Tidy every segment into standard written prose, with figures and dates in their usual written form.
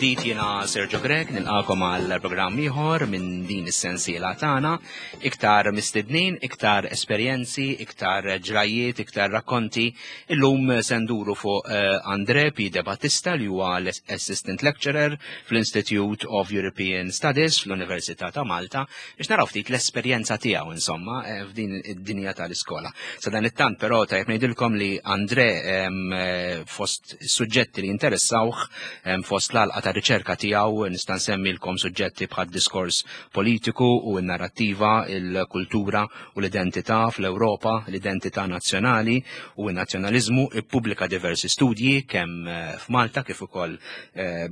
Mill-ġdid jiena Sergio Grech nilqakom għal programm ieħor minn din is-sensiela tagħna, iktar mistednin, iktar esperjenzi, iktar ġrajiet, iktar rakkonti. Illum se nduru fuq eh, Andre P. De Battista li huwa l-Assistant Lecturer fl-Institute of European Studies fl-Università ta' Malta biex naraw ftit l-esperjenza tiegħu insomma eh, f'din id-dinja tal-iskola. Sa dan it-tant però tajjeb ngħidilkom li Andre eh, fost suġġetti li interessawh fost l-għalqa ta' riċerka tiegħu nista' nsemmilkom suġġetti bħal diskors politiku u n-narrattiva, il-kultura u l-identità fl-Ewropa, l-identità nazzjonali u n-nazzjonaliżmu, ippubblika diversi studji kemm eh, f'Malta kif ukoll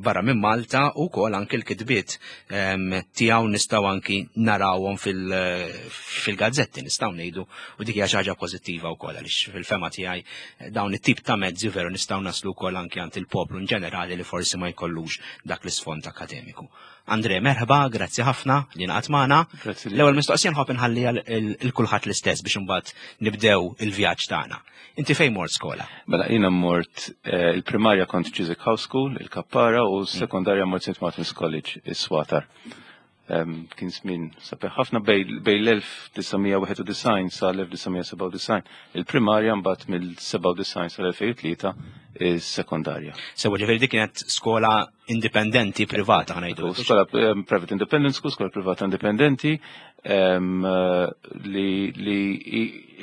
barra minn Malta u wkoll anke l-kitbiet tiegħu nistgħu anki narawhom fil-gazzetti nistgħu ngħidu u dik hija xi ħaġa pożittiva wkoll għaliex fil-fema tiegħi eh, dawn it-tip ta' mezzi veru nistgħu naslu wkoll anki għand il-poplu in ġenerali li forsi ma jkollux dak l-isfond akademiku. Andre, merħba, grazzi ħafna li naqat magħna. L-ewwel mistoqsija nħobb inħalli il kulħadd l-istess biex imbagħad nibdew il-vjaġġ tagħna. Inti fejn mort skola? Mela jiena mort eh, il-primarja kont Chiswick House School, il-Kappara, u s-sekondarja mort St. Martin's College, is-Swatar. Kien żmien sabiħ ħafna bej l-1991 sa l-1997 il-primarja mbagħad mill-97 sal-2003 is-sekondarja. Sewa ġifieri dik kienet skola indipendenti privata ħanajdu. Skola private independent school, skola privata indipendenti li, li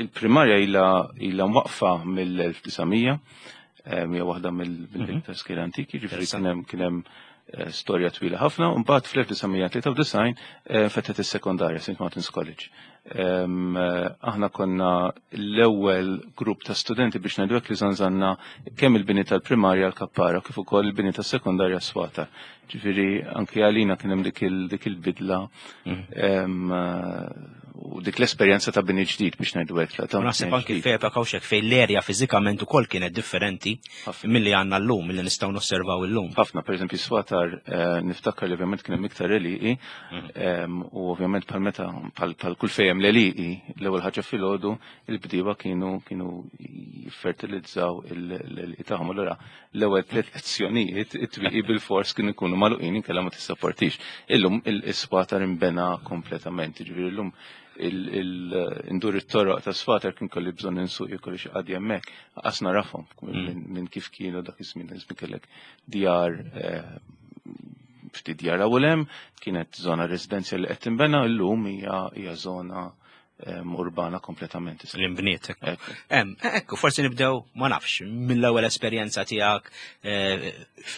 il-primarja ila ila mwaqfa mill-1900 hija waħda mill-iktar skejjel antiki, ġifieri kien hemm kien hemm eh, storja twila ħafna, u mbagħad fl-1993 eh, fetħet is-sekondarja St. Martin's College. Eh, aħna konna l-ewwel grupp ta' studenti biex ngħidu hekk li żanżanna kemm il-bini tal-primarja l-Kappara kif ukoll il-bini tas-sekondarja Swata. Ġifieri anke għalina kien hemm dik il-bidla mhm. eh, u dik l-esperjenza ta' bini ġdid biex ngħidu hekk. Naħseb anki f'epoka hawnhekk fejn l-erja fiżikament ukoll kienet differenti milli għandna llum, milli nistgħu nosservaw illum. Ħafna, pereżempju swatar eh, niftakar li ovvjament kien hemm iktar eliqi mhm. u ovvjament bħal meta bħal kull fejn l-eliqi l-ewwel ħaġa filgħodu il-bdiewa kienu kienu jiffertilizzaw l-eliqi tagħhom. Allura l-ewwel tliet lezzjonijiet it-twieqi bil-fors kienu jkunu magħluqin inkella ma tissapportix. Illum il-swatar imbena kompletament, jiġifieri llum il-indur it-toroq ta' swatar kien kolli bżonn insuq jkolli xi qadi hemmhekk, qas narafhom mm. minn kif kienu dak iż-żmien, iż-żmien kellek djar eh, ftit djar hawn hemm, kienet żona residenzjali li qed tinbena, llum hija żona urbana kompletament. L-imbniet. Ekku, forsi nibdew, ma nafx, mill-ewwel esperjenza tiegħek eh,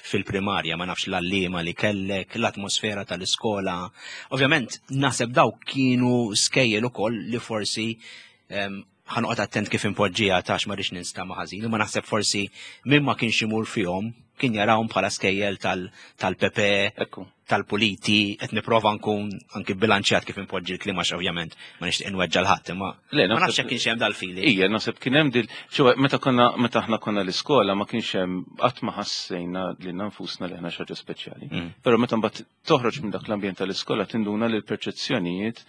fil-primarja, ma nafx l-allima li kellek, l-atmosfera tal-iskola. Ovvjament, naħseb daw kienu skejjel ukoll li forsi ħanoqgħod attent kif impoġġija tax ma rridx ninstama ħażin, imma naħseb forsi min ma kienx imur fihom kien jarawhom bħala skejjel tal-PP, tal-puliti, qed nipprova nkun anki bilanċjat kif impoġġi l-klima għax ovvjament ma nixtieq inweġġa' l-ħadd imma ma nafx jekk kienx hemm dal-feeling. Ija, naħseb kien hemm dil ċewa meta konna meta aħna konna l-iskola ma kienx hemm qatt ma ħassejna lilna nfusna li aħna xi ħaġa speċjali. Mm. Però meta mbagħad toħroġ minn dak l-ambjent tal-iskola tinduna li l-perċezzjonijiet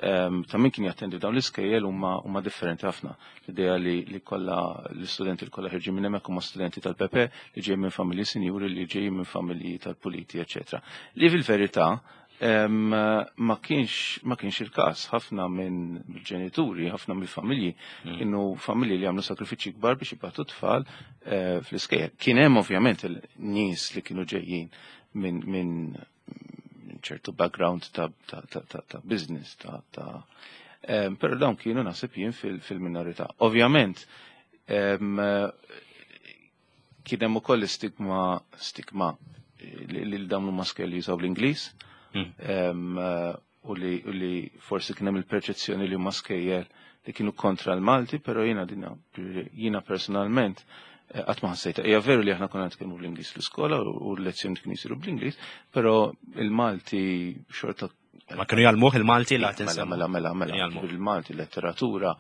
ehm, ta' min kien jattendi dawn l-iskejjel huma huma differenti ħafna. L-idea li li kollha l-istudenti li kollha ħirġin minn hemmhekk huma studenti tal-PP li ġejjin minn familji sinjuri li ġejjin minn familji tal-puliti, eċetera. Li fil-verità ehm, ma kienx ma kienx il-każ. Ħafna minn ġenituri, ħafna mill-familji mm. kienu familji li għamlu sakrifiċċji kbar biex jibgħatu tfal eh, fl-iskejjel. Kien hemm ovvjament il-nies li kienu ġejjin minn min ċertu background ta', ta, ta, ta, ta business, ta', ta um, pero dawn kienu naħseb jien fil-minorità. Fil Ovvjament, um, kien hemm ukoll stigma stigma li, li dawn huma skejjel jużaw l-Ingliż mm. um, u li, li forsi kien hemm il-perċezzjoni li huma skejjel li kienu kontra l-Malti, però jiena dina jiena personalment eh, qatt ma ħassejta. Hija veru li aħna konna nitkellmu bl-Ingliż fl-iskola u l-lezzjoni kienu jsiru bl-Ingliż, però il-Malti xorta Ma kienu jgħallmuh il-Malti la tinsa. Mela, mela, mela, il-Malti, letteratura,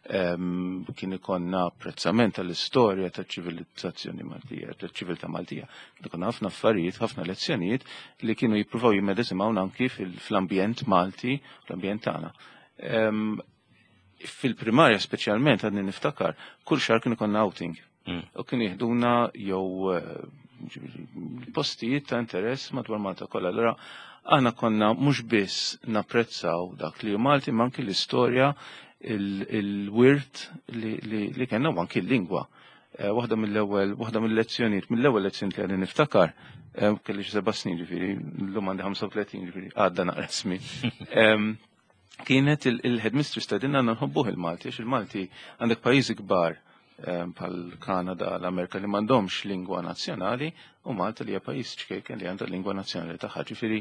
kien ikonna apprezzament tal-istorja tal-ċivilizzazzjoni Maltija, tal-ċiviltà Maltija. Kien ikonna ħafna affarijiet, ħafna lezzjonijiet li kienu jippruvaw jimmedesimawna anki fl-ambjent Malti, fl-ambjent tagħna. Fil-primarja speċjalment għadni niftakar, kull xahar kien ikonna outing. Mm. U kien jihduna jew eh, Postijiet ta' interess madwar Malta kollha. Allura aħna konna mhux biss napprezzaw dak li hu Malti, ma anki l-istorja, il-wirt li kellna u anki l-lingwa. Waħda mill-ewwel, waħda mill-lezzjonijiet, mill-ewwel lezzjoni li għadni niftakar, kelli xi 7 snin ġifieri, llum għandi 35, ġifieri għadda naqra żmien. Kienet il-headmistress tgħidilna għandna nħobbuh il-Malti, għax il-Malti għandek pajjiżi kbar bħal Kanada, l-Amerika li m'għandhomx lingwa nazzjonali u Malta li hija pajjiż ċkejken li għandha lingwa nazzjonali tagħha. Ġifieri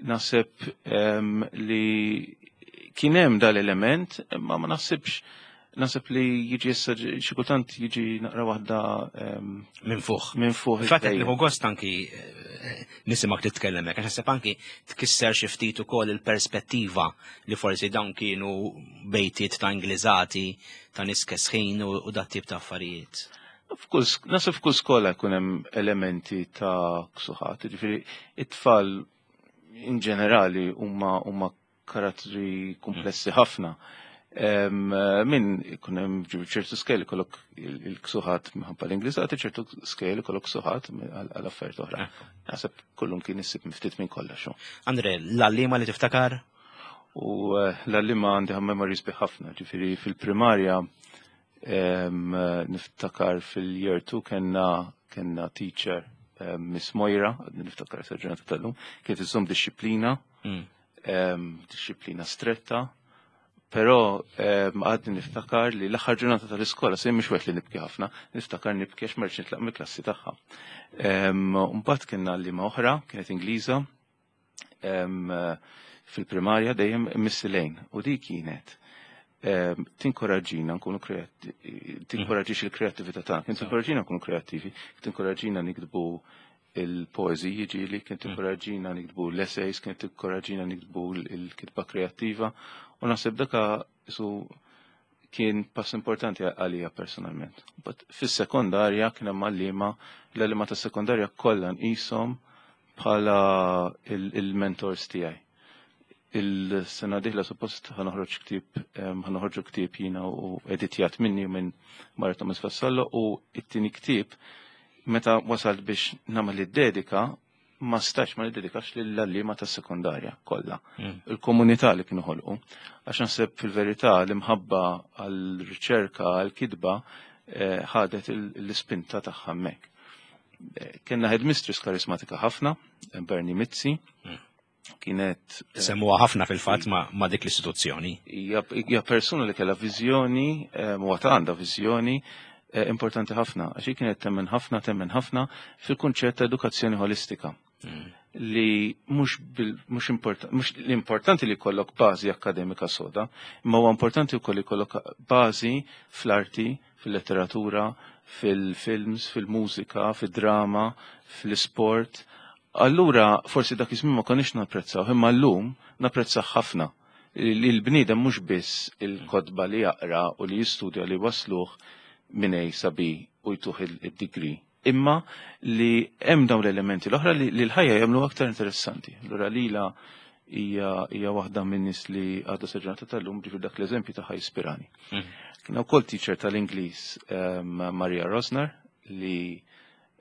naħseb li kien hemm dal-element, imma ma naħsibx, naħseb li jiġi issa xi kultant jiġi naqra waħda minn fuq. Minn fuq. Fatt li gost anki nisimak titkellem hekk, għax naħseb anki tkisser xi ftit ukoll il-perspettiva li forsi dawn kienu bejtiet ta' Ingliżati, ta' nies kesħin u dat tip ta' affarijiet. Naħseb f'kull skola jkun hemm elementi ta' ksuħat, ġifieri it-tfal in ġenerali huma karattri komplessi ħafna. Min ikun hemm ċertu skejjel ikollok il-ksuħat minħabba l-Ingliżati, ċertu skejjel ikollok ksuħat għal affarijiet oħra. Naħseb kullum kien issib ftit minn kollox. Andre, l-għalliema li tiftakar? U l-għalliema għandi memories bi ħafna, ġifieri fil-primarja niftakar fil-year 2 kellna teacher, Miss Moira, għadni niftakar sa ġurnata tal-lum, kienet iżżomm disċiplina, disċiplina stretta, però għadni niftakar li l-aħħar ġurnata tal-iskola, se mhux wieħed li nibki ħafna, niftakar nibki għax ma rridx nitlaq mill-klassi tagħha. Mbagħad kienna għalliema oħra, kienet Ingliża, fil-primarja dejjem Miss Elaine, u di kienet tinkoraġġina nkunu tinkoraġġix il-kreattività tagħna, kien tinkoraġġina nkunu kreattivi, tinkoraġġina niktbu il-poeżiji ġieli, kien tinkoraġġina niktbu l-essays, kien tinkoraġġina niktbu l-kitba kreattiva, u naħseb daka su kien pass importanti għalija personalment. But fis-sekondarja kien hemm għalliema, l-għalliema tas-sekondarja kollha nqishom bħala il-mentors tiegħi. Il-sena dieħla suppost ħa noħroġ ktieb, ħa noħorġu ktieb jiena u editjat minni u minn Maria Thomas Vassallo, u it-tieni ktieb meta wasalt biex nagħmel id-dedika ma stax ma niddedikax lill-għalliema tas-sekondarja kollha. Il-komunità li kienu ħolqu. Għax naħseb fil-verità l-imħabba għal-riċerka, għal-kitba ħadet l-ispinta tagħha hemmhekk. Kellna headmistress karismatika ħafna, Bernie Mizzi, kienet Semmuha ħafna fil-fatt ma' dik l-istituzzjoni. Hija persuna li kellha viżjoni, u għad għandha viżjoni importanti ħafna, għax hi kienet temmen ħafna, temmen ħafna fil-kunċett ta' edukazzjoni holistika. Li mhux l-importanti li jkollok bażi akademika soda, imma huwa importanti wkoll li jkollok bażi fl-arti, fil-letteratura, fil-films, fil-mużika, fil-drama, fil-sport. Allura, forsi dak iż-żmien ma konniex napprezzaw, imma llum napprezzaw ħafna. Li l-bniedem mhux biss il-kotba li jaqra u li jistudja li wasluh minn A sa B u jtuh il-degree, imma li hemm dawn l-elementi l-oħra li l-ħajja jagħmlu aktar interessanti. Allura lila hija waħda minn nies li għadha sa ġurnata tal-lum, ġifier dak l-eżempju tagħha jispirani. Kien ukoll teacher tal-Ingliż, Maria Rosner, li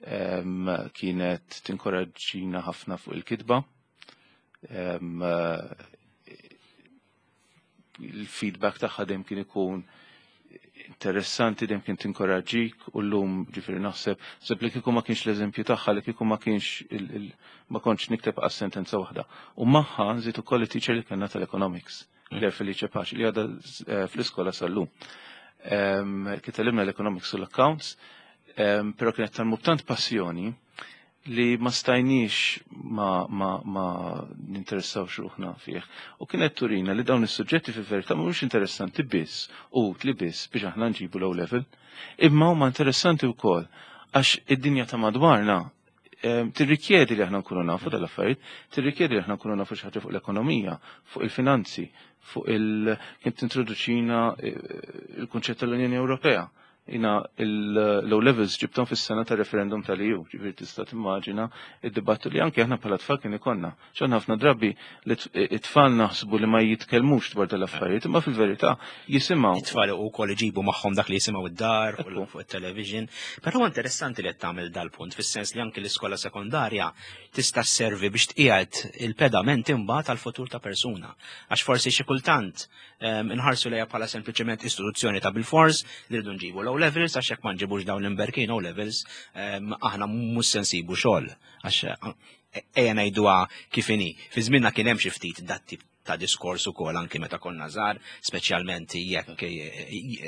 kienet tinkoraġġina ħafna fuq il-kitba. Il-feedback tagħha dejjem kien ikun interessanti, dejjem kien tinkoraġġik, u llum ġifieri naħseb li kieku ma kienx l-eżempju tagħha, li kieku ma kienx ma kontx nikteb għas sentenza waħda. U magħha nżid ukoll it-teacher li kellna tal-economics, Claire Felice Pace, li għadha fl-iskola sal-lum. Kien tgħallimna l-economics u l-accounts, però kienet tgħallmu b'tant passjoni li ma stajniex ma ninteressawx ruħna fih. U kienet turina li dawn is-suġġetti fil-verità mhumiex interessanti biss u utli biss biex aħna nġibu l level, imma huma interessanti wkoll għax id-dinja ta' madwarna tirrikjedi li aħna nkunu nafu dal-affarijiet, tirrikjedi li aħna nkunu nafu xi ħaġa fuq l-ekonomija, fuq il-finanzi, fuq il kien tintroduċina il-kunċett tal-Unjoni Ewropea. Jiena l-O levels ġibthom fis-sena ta' referendum tal-EU, ġifieri tista' timmaġina id-dibattu li anke aħna bħala tfal kien ikollna. X'aħna ħafna drabi li it-tfal naħsbu li ma jitkellmux dwar dal-affarijiet, imma fil-verità jisimgħu. It-tfal ukoll iġibu magħhom dak li jisimgħu id-dar fuq it-television. Però interessanti li qed tagħmel dal-punt fis-sens li anke l-iskola sekondarja tista' sservi biex tqiegħed il-pedament imbagħad għall-futur ta' persuna. Għax forsi xi kultant inħarsu lejha bħala sempliċement istituzzjoni ta' bil-fors li rridu nġibu low levels għax jekk ma nġibux dawn l-imberkin low levels aħna mhux se nsibu xogħol għax ejja ngħiduha kif inhi. Fi żmienna kien hemm xi ftit dat tip ta' diskors ukoll anki meta konna żgħar, speċjalment jekk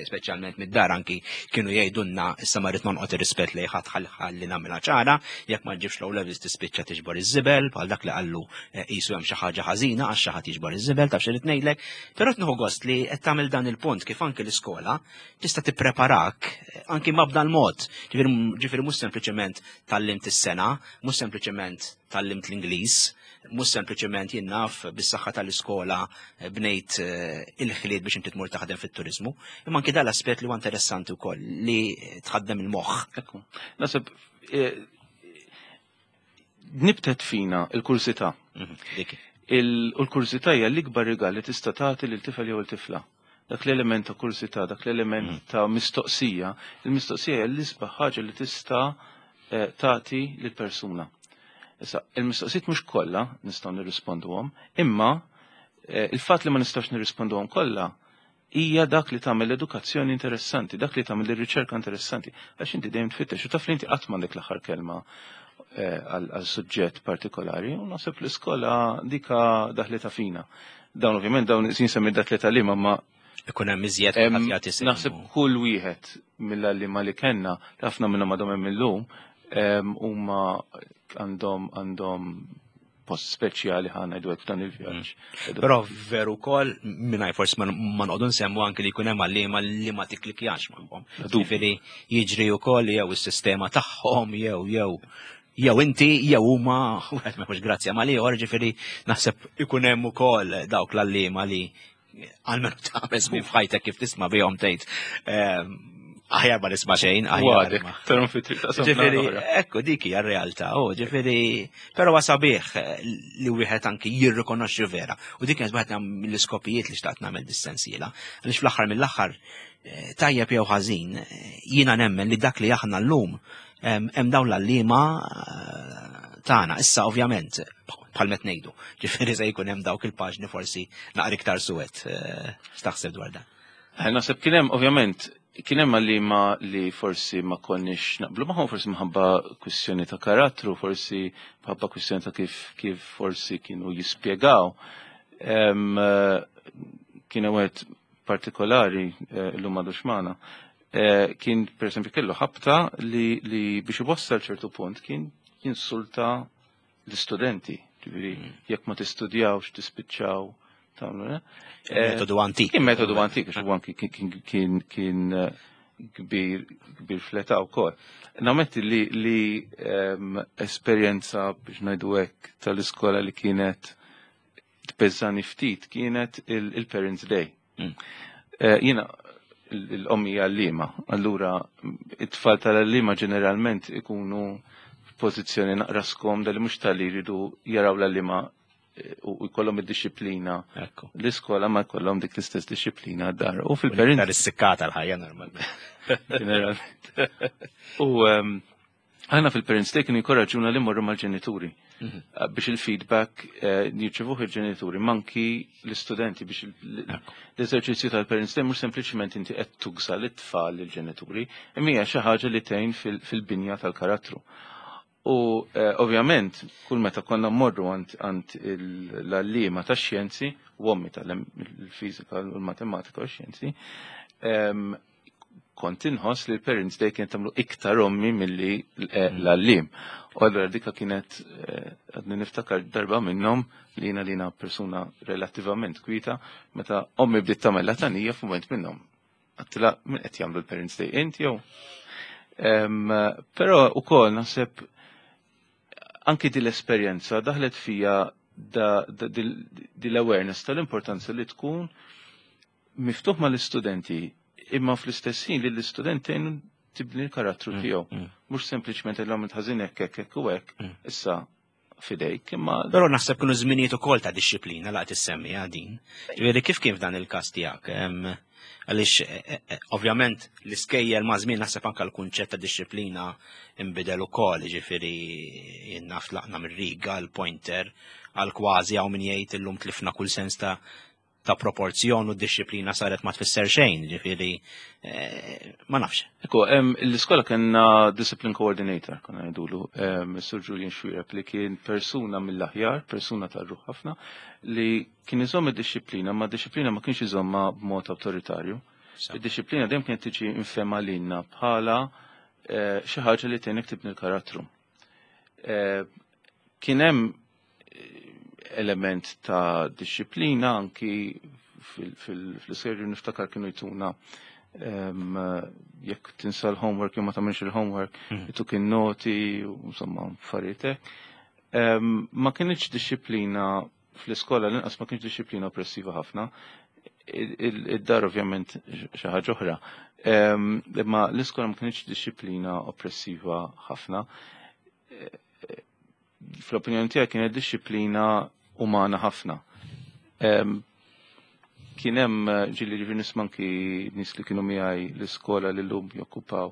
speċjalment mid-dar anki kienu jgħidulna issa ma rrid nonqot ir-rispett lejn ħadd ħalli nagħmilha ċara, jekk ma ġibx low levels tispiċċa tiġbor iż-żibel bħal dak li qallu qisu hemm xi ħaġa ħażina għax xi ħadd jiġbor iż-żibel taf xi ngħidlek. Però qed nieħu gost li qed tagħmel dan il-punt kif anki l-iskola tista' tippreparak anki ma b'dan mod. Ġifieri mhux sempliċement tgħallimt is-sena, mhux sempliċement tgħallimt l-Ingliż, mhux sempliċement jien naf bis-saħħa tal-iskola bnejt il-ħiliet biex inti tmur taħdem fit-turiżmu, imma anki dan l-aspett li huwa interessanti wkoll li tħaddem il-moħħ. Ekku. Naħseb nibtet fina il-kursità. Dik. U l-kursità hija l-ikbar rigal li tista' tagħti lil tifel jew il-tifla. Dak l-element ta' kursità, dak l-element ta' mistoqsija, il-mistoqsija hija l-isbaħ ħaġa li tista' tagħti lil persuna. Issa, il-mistoqsijiet mhux kollha nistgħu nirrisponduhom, imma il-fatt li ma nistgħux nirrisponduhom kollha hija dak li tagħmel l-edukazzjoni interessanti, dak li tagħmel ir-riċerka interessanti, għax inti dejjem tfittex u taf li inti qatt m'għandek l-aħħar kelma għal suġġett partikolari, u naħseb l-iskola dika daħlita fina. Dawn ovvjament dawn jinsemmi dak li tal-ima ma ikun hemm iżjed ħadd jagħti sehem. Naħseb kull wieħed mill-għalliema li kellna, ħafna minnhom għadhom hemm illum, huma għandhom post speċjali ħa ngħidu hekk f'dan il-vjaġġ. Però veru wkoll mingħajr forsi ma noqogħdu nsemmu anke li jkun hemm għalliema li ma tikklikjax magħhom. Ġifieri jiġri wkoll jew is-sistema tagħhom jew jew inti jew huma wieħed ma jkunx grazzja mal ieħor, ġifieri naħseb ikun hemm ukoll dawk l-għalliema li għalmenu tagħmel żmien f'ħajtek kif tisma' bihom tgħid aħjar ma nisma' xejn, aħjar Għadek, tarom fi triq ta' Ġifieri, ekku dik hija r-realtà, oh, ġifieri, però huwa sabiħ li wieħed anki jirrikonoxxi vera. U dik kienet waħda mill-iskopijiet li xtaqt nagħmel dis-sensiela. Għaliex fl-aħħar mill-aħħar tajjeb jew ħażin, jiena nemmen li dak li aħna llum hemm dawn l-għalliema tagħna. Issa ovvjament bħal met ngħidu, ġifieri se jkun hemm dawk il-paġni forsi naqra iktar suwed. X'taħseb dwar dan? Naħseb kien hemm ovvjament kien hemm għalliema li forsi ma konniex naqblu magħhom, forsi minħabba kwistjoni ta' karattru, forsi minħabba kwistjoni ta' kif forsi kienu jispjegaw. Kien hemm wieħed partikolari llum m'għadux magħna. Kien per esempio kellu ħabta li biex iwassal ċertu punt kien jinsulta l-istudenti. Ġifieri jekk ma tistudjawx tispiċċaw tagħmlu, eh? Metodu antik. Kien metodu antik, għax huwa anki kien kbir fl-età wkoll. Nammetti li esperjenza biex ngħidu hekk tal-iskola li kienet tbeżżani ftit kienet il-Parents Day. Jiena l-ommi għallima, allura it-tfal tal-għallima ġeneralment ikunu f'pożizzjoni naqra skomda li mhux tal-li jridu jaraw l-għallima u jkollhom id-disciplina. L-iskola ma jkollhom dik l-istess disciplina d-dar. U fil-parents. Dar is-sikkata l-ħajja normalment. Ġeneralment. U aħna fil-Parents Day kienu jkoraġuna li morru mal-ġenituri. Biex il-feedback jirċevuh il-ġenituri, manki l-istudenti biex l-eżerċizzju tal-Parents Day mhux sempliċement inti qed tugża lit-tfal lill-ġenituri, imma hija xi ħaġa li tgħin fil-binja tal-karattru. U ovvjament, kull meta konna mmorru għand l-għalliema tax-xjenzi, u ommi tal-fiżika u l-matematika u x-xjenzi, kont inħoss li l-Parents Day kienet tagħmlu iktar ommi milli l-għalliem. U allura dika kienet għadni niftakar darba minnhom li jiena li jiena persuna relattivament kwita, meta ommi bdiet tagħmel latanija f'mument minnhom. Għedtilha min qed jagħmlu l-Parents Day int jew? Però ukoll naħseb anki din l-esperjenza daħlet fija dil-awareness tal-importanza li tkun miftuħ mal-istudenti. Imma fl-istess ħin li l-istudent tgħinu tibni l-karattru tiegħu. Mhux sempliċement l għamilt ħażin hekk hekk hekk u hekk, issa fidejk, imma. Però naħseb kienu żminijiet ukoll ta' dixxiplina laqt issemmi din. Ġifieri kif kien f'dan il-każ tiegħek? Għaliex ovvjament l-iskejjel ma' żmien naħseb anke l-kunċett ta' dixxiplina imbidel ukoll, ġifieri jien naf tlaqna mir-riga, l-pointer, għal kważi hawn min jgħid illum tlifna kull sens ta' proporzjon u d-dixxiplina saret ma tfisser xejn, ġifieri ma nafx. Ekku, l-iskola kellna discipline coordinator, konna ngħidulu, Sir Julian Xuereb, li kien persuna mill-aħjar, persuna tar-ruħ ħafna, li kien iżomm id-dixxiplina, ma d-dixxiplina ma kienx iżomma b'mod awtoritarju. Id-dixxiplina dejjem kienet tiġi infema lilna bħala xi ħaġa li tgħinek tibni l-karattru. Kien hemm element ta' dixxiplina anki fil-serju, niftakar kienu jtuna jekk tinsa l-homework jew ma tagħmilx il-homework, jtuk in-noti u insomma affarijiet hekk. Ma kienx dixxiplina fl-iskola, l-inqas ma kienx dixxiplina oppressiva ħafna. Id-dar ovvjament xi ħaġa oħra. Imma l-iskola ma kienx dixxiplina oppressiva ħafna. Fl-opinjoni tiegħi kienet dixxiplina umana ħafna. Kien hemm ġieli, ġifieri nisma' anki nies li kienu miegħi l-iskola li llum jokkupaw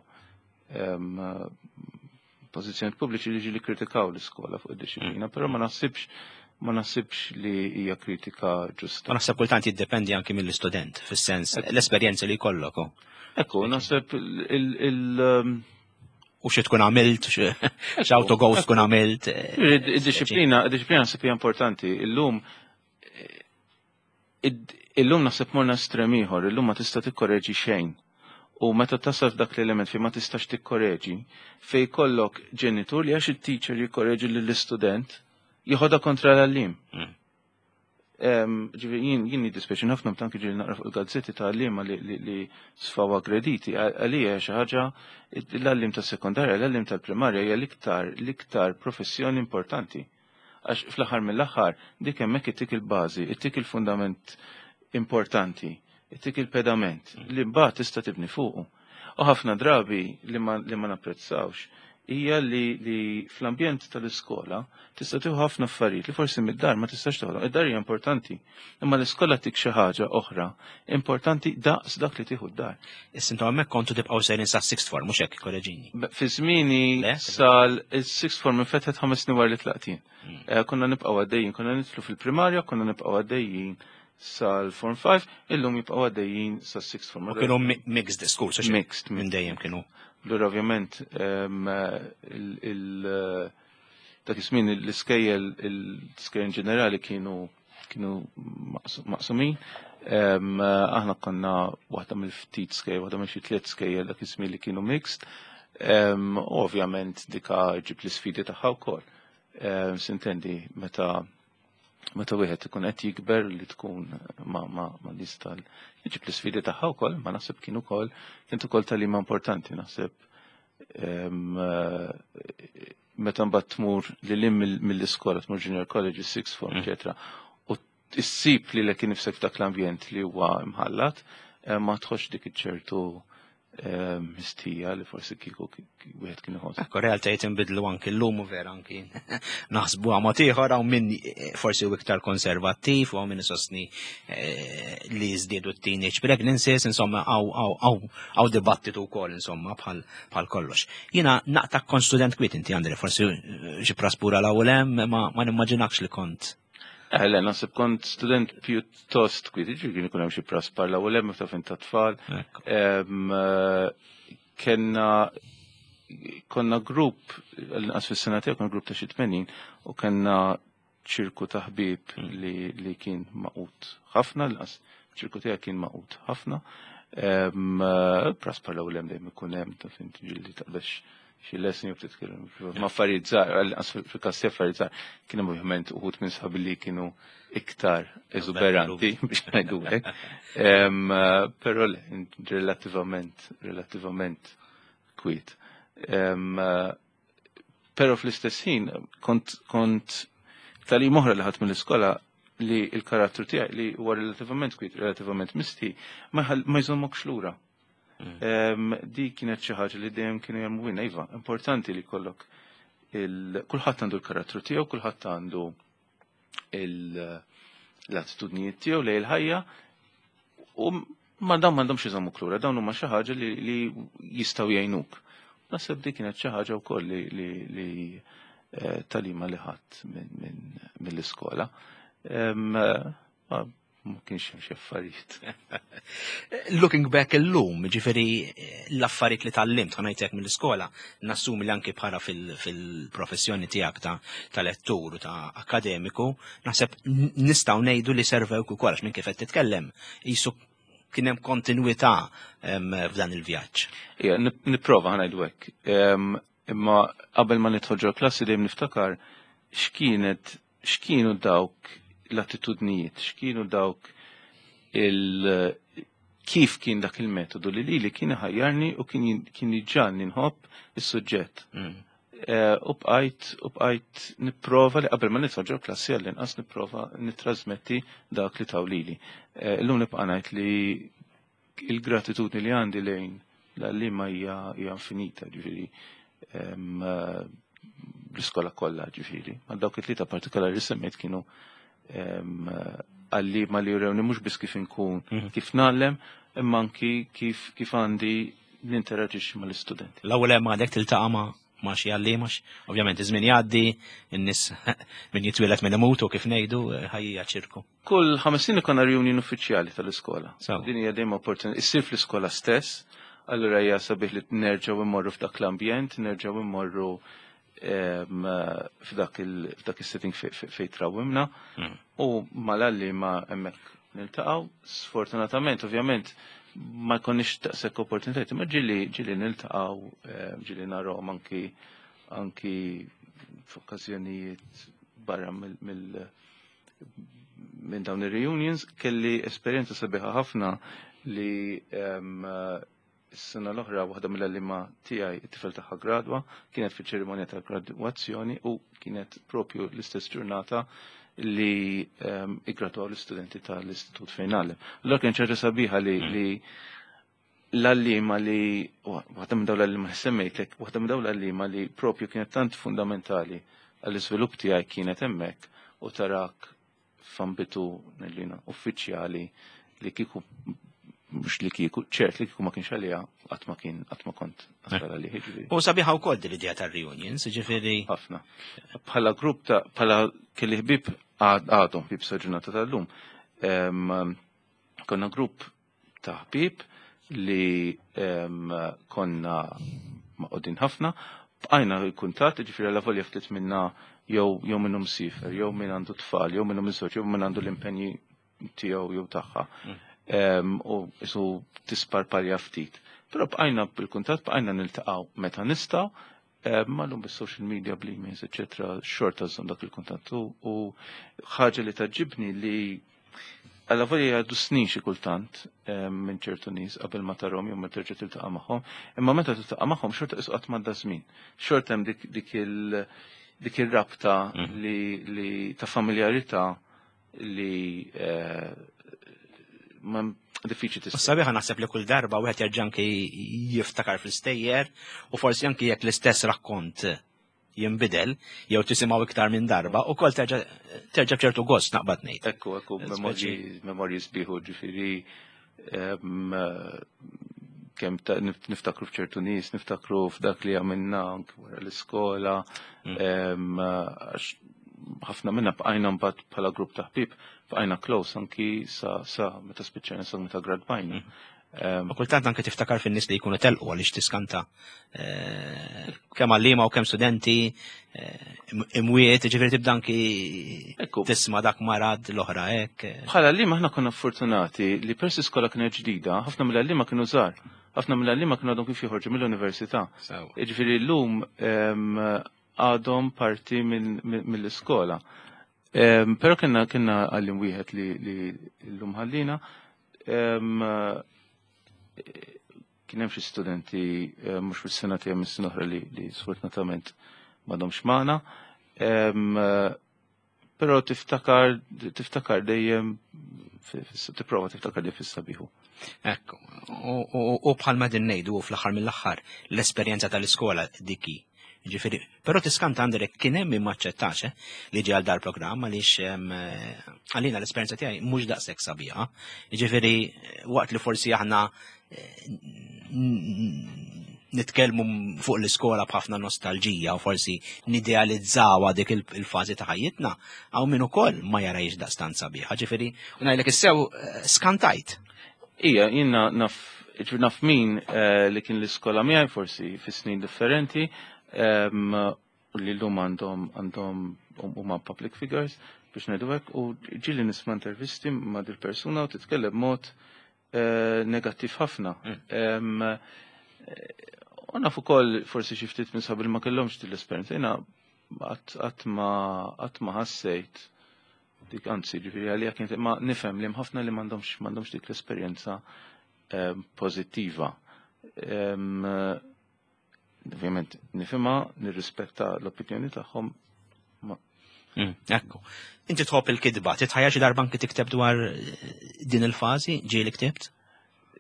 pożizzjoni pubbliċi li ġieli kritikaw l-iskola fuq id-dixxiplina, però ma naħsibx li hija kritika ġusta. Ma naħseb kultant jiddependi anki mill-istudent, fis-sens l-esperjenza li jkollok. Oh. Ekku, naħseb il U xi tkun għamilt, x'auto-goals tkun għamilt. Id-dixxiplina naħseb hija importanti. Illum naħseb morna estrem ieħor, illum ma tista' tikkoreġi xejn. U meta tasal f'dak l-element fejn ma tistax tikkoreġi, fejn jkollok ġenitur li għax it-teacher jikkoreġi lill-istudent, jieħodha kontra l-għallim. Ġifieri jien jiddispjaċini ħafna meta anki ġieli naqra fuq il-gazzetti ta' għalliema li sfaw aggrediti. Għalija xi ħaġa l-għallim ta' sekondarja, l-għallim tal-primarja hija l-iktar professjoni importanti. Għax fl-aħħar mill-aħħar dik hemmhekk ittik il-bażi, ittik il-fundament importanti, ittik il-pedament li mbagħad tista' tibni fuqu. U ħafna drabi li ma napprezzawx hija li fl-ambjent tal-iskola tista' tieħu ħafna affarijiet li forsi mid-dar ma tistax toħodhom. Id-dar hija importanti, imma l-iskola tik xi ħaġa oħra importanti daqs dak li tieħu d-dar. Issa intom hemmhekk kontu tibqgħu sejrin sa sixth form, mhux hekk, korreġini. Fi żmieni sal il-sixth form infetħet 5 snin wara li tlaqt jien. Konna nibqgħu għaddejjin, konna nidħlu fil-primarja, konna nibqgħu għaddejjin sal-form 5, illum jibqgħu għaddejjin sal-sixth form. U kienu mixed schools, hekk? Mixed. Minn dejjem kienu. Allura ovvjament dak iż-żmien l-iskejjel ġenerali kienu maqsumin. Aħna konna waħda mill-ftit skejjel, waħda mill xi tliet skejjel dak iż-żmien li kienu mixed. U ovvjament dika ġib l-isfidi tagħha wkoll. Sintendi meta wieħed ikun qed jikber li tkun ma' nies tal ġib l-isfidi tagħha wkoll, ma naħseb kien ukoll kient ukoll tagħlima importanti, naħseb meta mbagħad tmur lil hemm mill-iskola, tmur junior college, sixth form, eċetera, u issib li lek nifsek f'dak l-ambjent li huwa mħallat, ma tħossx dik iċ-ċertu mistija li forsi kieku wieħed kien iħoss. Ekku, realtajiet inbidlu anki l-lum u vera anki naħsbu għamot ieħor, hawn min forsi u iktar konservattiv u hawn min isostni li żdiedu teenage pregnancies, insomma hawn dibattitu wkoll, insomma, bħal kollox. Jiena naqta kont student kwiet inti, Andre, forsi xi praspura l hemm, ma nimmaġinakx li kont. Le, naħseb kont student pjuttost kwiet, ġifieri kien ikun hemm xi praspar l hemm meta fin ta' tfal. Kenna konna grupp, l-inqas fis-sena tiegħu konna grupp ta' xi 80 u kellna ċirku ta' ħbieb li kien magħqud ħafna, l-inqas ċirku tiegħek kien magħqud ħafna. Praspar l hemm dejjem ikun hemm ta' fin ġieli taqbex xi lesson jew titkellem ma' affarijiet żgħar, għal-inqas fil-każ tiegħi affarijiet żgħar. Kien hemm ovvjament uħud minn sħabi li kienu iktar eżuberanti biex ngħidu hekk. Però le, relattivament kwiet. Però fl-istess ħin kont tagħlima oħra li ħadt mill-iskola li il-karattru tiegħi li huwa relattivament kwiet, relattivament misti, ma jżommokx lura. Di kienet xi ħaġa li dejjem kienu jagħmlu iva, importanti li jkollok kulħadd għandu l-karattru tiegħu, kulħadd għandu l-attitudnijiet tiegħu lejn il-ħajja u ma dawn m'għandhomx iżommu klura, dawn huma xi ħaġa li jistgħu jgħinuk. Naħseb dik kienet xi ħaġa wkoll li tagħlima li ħadt mill-iskola. Ma kienx hemm xi affarijiet. Looking back illum, ġifieri l-affarijiet li tgħallimt ħa ngħidlek mill-iskola, nassumi li anki bħala fil-professjoni tiegħek ta' lettur u ta' akademiku, naħseb nistgħu ngħidu li servewk ukoll għax minn kif qed titkellem qisu kien hemm kontinwità f'dan il-vjaġġ. Ija, nipprova ħa ngħidu hekk. Imma qabel ma nidħol ġo klassi dejjem niftakar x'kienu dawk l-attitudnijiet, x'kienu dawk il kif kien dak il-metodu li kien ħajjarni u kien iġagħalni nħobb is-suġġett. U bqajt nipprova li qabel ma nidħol ġo klassi għall-inqas nipprova nittrasmetti dak li taw lili. Illum nibqa' ngħid li il-gratitudni li għandi lejn l-għalliema hija infinita, ġifieri l-iskola kollha ġifieri. Ma dawk it-tlieta partikolari li semmejt kienu għalliema li jurewni mhux biss kif inkun, kif ngħallem, imma anki kif għandi ninteraġixxi mal-istudenti. L-ewwel hemm għadek tiltaqa' ma' xi għalliema, ovvjament iż-żmien jgħaddi, in-nies min jitwieled min imutu kif ngħidu, ħajja ċirku. Kull 5 snin ikollna reunion uffiċjali tal-iskola. Din hija dejjem opportunità. Issir fl-iskola stess, allura hija sabiħ li nerġgħu immorru f'dak l-ambjent, nerġgħu immorru f'dak is-setting fejn trawwimna. U mal-għalliema hemmhekk niltaqgħu. Sfortunatament, ovvjament, ma jkollniex daqshekk opportunitajiet, imma ġieli niltaqgħu, ġieli narahom anki f'okkażjonijiet barra minn dawn ir-reunions. Kelli esperjenza sabiħa ħafna li s-sena l-oħra waħda mill-għalliema tiegħi it-tifel tagħha gradwa, kienet fiċ-ċerimonja tal-gradwazzjoni u kienet propju l-istess ġurnata li iggradwaw l-istudenti tal-istitut fejn ngħallem. Allura kien ċerta sabiħa li l-għalliema li, waħda minn dawn l-għalliema li semmejtek, waħda minn dawn l-għalliema li propju kienet tant fundamentali għall-iżvilupp tiegħi kienet hemmhekk u tarak f'ambitu nellina uffiċjali li kieku mhux li kieku, ċert li kieku ma kienx għalija, qatt ma kien, qatt ma kont nasal għalih, jiġifieri. U sabiħa wkoll din l-idea tar-reunions, jiġifieri. Ħafna. Bħala grupp ta' bħala kelli ħbieb għadhom ħbieb sa ġurnata tal-lum. Konna grupp ta' ħbieb li konna maqodin ħafna, bqajna l-kuntatt, ġifieri għala volja ftit minna jew minnhom sifer, jew min għandu tfal, jew minnhom iżoġ, jew min għandu l-impenji tiegħu jew tagħha. U isu tisparpalja ftit. Però bqajna bil-kuntatt, bqajna niltaqgħu meta nistgħu, ma llum bis-social media, bl-emails, eċetera, xorta żżomm dak il-kuntatt. U ħaġa li taġibni li għalla volja jgħaddu snin xi kultant minn ċertu nies qabel ma tarhom jew ma terġa' tiltaqa' magħhom, imma meta tiltaqa' magħhom xorta qisu qatt m'għadda żmien. Xorta hemm dik ir-rabta li ta' familjarità li ma diffiċli tista'. Sabiħa naħseb li kull darba wieħed jerġa' anki jiftakar fl-istejjer u forsi anki jekk l-istess rakkont jinbidel jew tisimgħu iktar minn darba u kol terġa' b'ċertu gost naqbad ngħid. Ekku, ekku, memorji sbieħu, ġifieri, kemm niftakru f'ċertu nies, niftakru f'dak li għamilna anki wara l-iskola, għax ħafna minna bqajna mbagħad bħala grupp ta' ħbieb, bqajna close anki sa meta spiċċajna, sa meta gradwajna. U kultant anke tiftakar fin-nies li jkunu telqu għaliex tiskanta kemm għalliema u kemm studenti imwiet, ġifieri tibda anki tisma' dak marad l-oħra hekk. Bħala għalliema aħna konna fortunati li peress l-iskola kienet ġdida, ħafna mill-għalliema kienu żgħar, ħafna mill-għalliema kienu għadhom kif joħorġu mill-università. Ġifieri llum għadhom parti mill-iskola. Però kienna għallim wieħed li llum ħallina. Kien hemm xi studenti mhux fis-sena tiegħi mis-sena oħra li sfortunatament m'għadhomx magħna. Però tiftakar tiftakar dejjem tipprova tiftakar dejjem fis-sabiħu. Ekku, u bħalma din ngħidu fl-aħħar mill-aħħar l-esperjenza tal-iskola diki. Ġifieri, però tiskanta għandek kien hemm min maċċettax eh, li ġie għal dal-programm għaliex eh, għalina l-esperjenza tiegħi mhux daqshekk sabiħa. Ġifieri waqt li forsi aħna eh, nitkellmu fuq l-iskola b'ħafna nostalġija u forsi nidealizzawha dik il-fażi ta' ħajjitna, hawn min ukoll ma jarajx daqstant sabiħa. Ġifieri, u ngħidlek issew eh, skantajt. Ija, jiena naf, naf min eh, li kien l-iskola miegħi forsi fi snin differenti, u li llum għandhom għandhom huma public figures biex ngħidu hekk u ġieli nisma' intervisti ma' dil-persuna u titkellem mod eh, negattiv ħafna. Mm. U naf ukoll forsi xi ftit minn sabi li ma kellhomx din l-esperjenza. Jiena qatt ma ħassejt dik anzi ġifieri għalija kienet ma nifhem li ħafna li m'għandhomx m'għandhomx dik l-esperjenza pożittiva. Ovvjament nifhimha, nirrispetta l-opinjoni tagħhom. Mm, ekku. Inti tħobb il-kitba, titħajja xi darba anki tikteb dwar eh, din il-fażi, ġieli ktibt?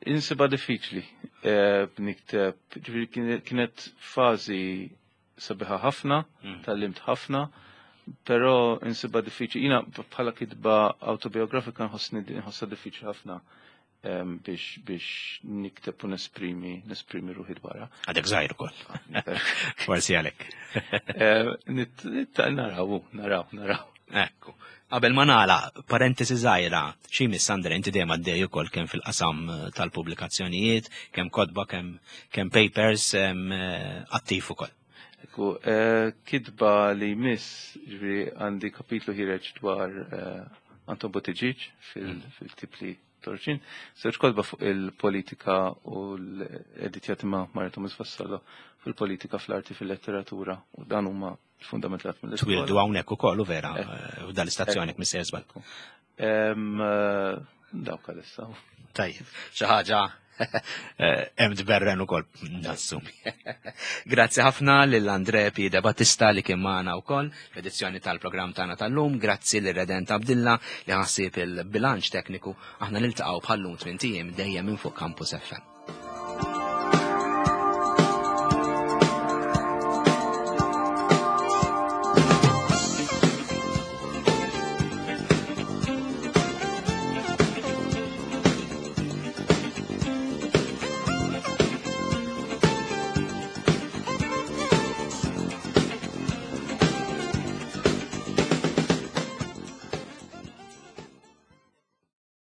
Insiba diffiċli eh, nikteb, ġifieri kienet fażi sabiħa ħafna, mm. tal-limt ħafna, però insiba diffiċli. Jina bħala kitba autobiografika nħossni nħossha diffiċli ħafna biex biex nikteb u nesprimi nesprimi ruħi dwarha. Għadek żgħir ukoll. Forsi għalek. Naraw, naraw, naraw. Ekku. Qabel ma nagħla, parentesi żgħira, xi miss Andre inti dejjem għaddej ukoll kemm fil-qasam eh, tal-pubblikazzjonijiet, kemm kotba, kemm kemm papers eh, attiv ukoll. Ekku, eh, kitba li jmiss, ġifieri għandi kapitlu ħireġ dwar Anton Buttigieg fil-tip li Torċin, żewġ kotba fuq il-politika u l-editjati ma' Maria Thomas Vassallo fil-politika, fl-arti, fil-letteratura u dan huma fundamentat mill-iskola. Twildu hawnhekk ukoll u vera eh. eh, u dal-istazzjoni missier żball. Eh, dawk għalissa. Tajjeb, xi ħaġa hemm tberren ukoll nassumi. Grazzi ħafna lil Andre P. De Battista li kien magħna wkoll fl-edizzjoni tal-programm tagħna tal-lum, grazzi lil Redent Abdilla li ħassib il-bilanċ tekniku, aħna niltaqgħu bħallum tmien dejjem minn fuq Campus FM.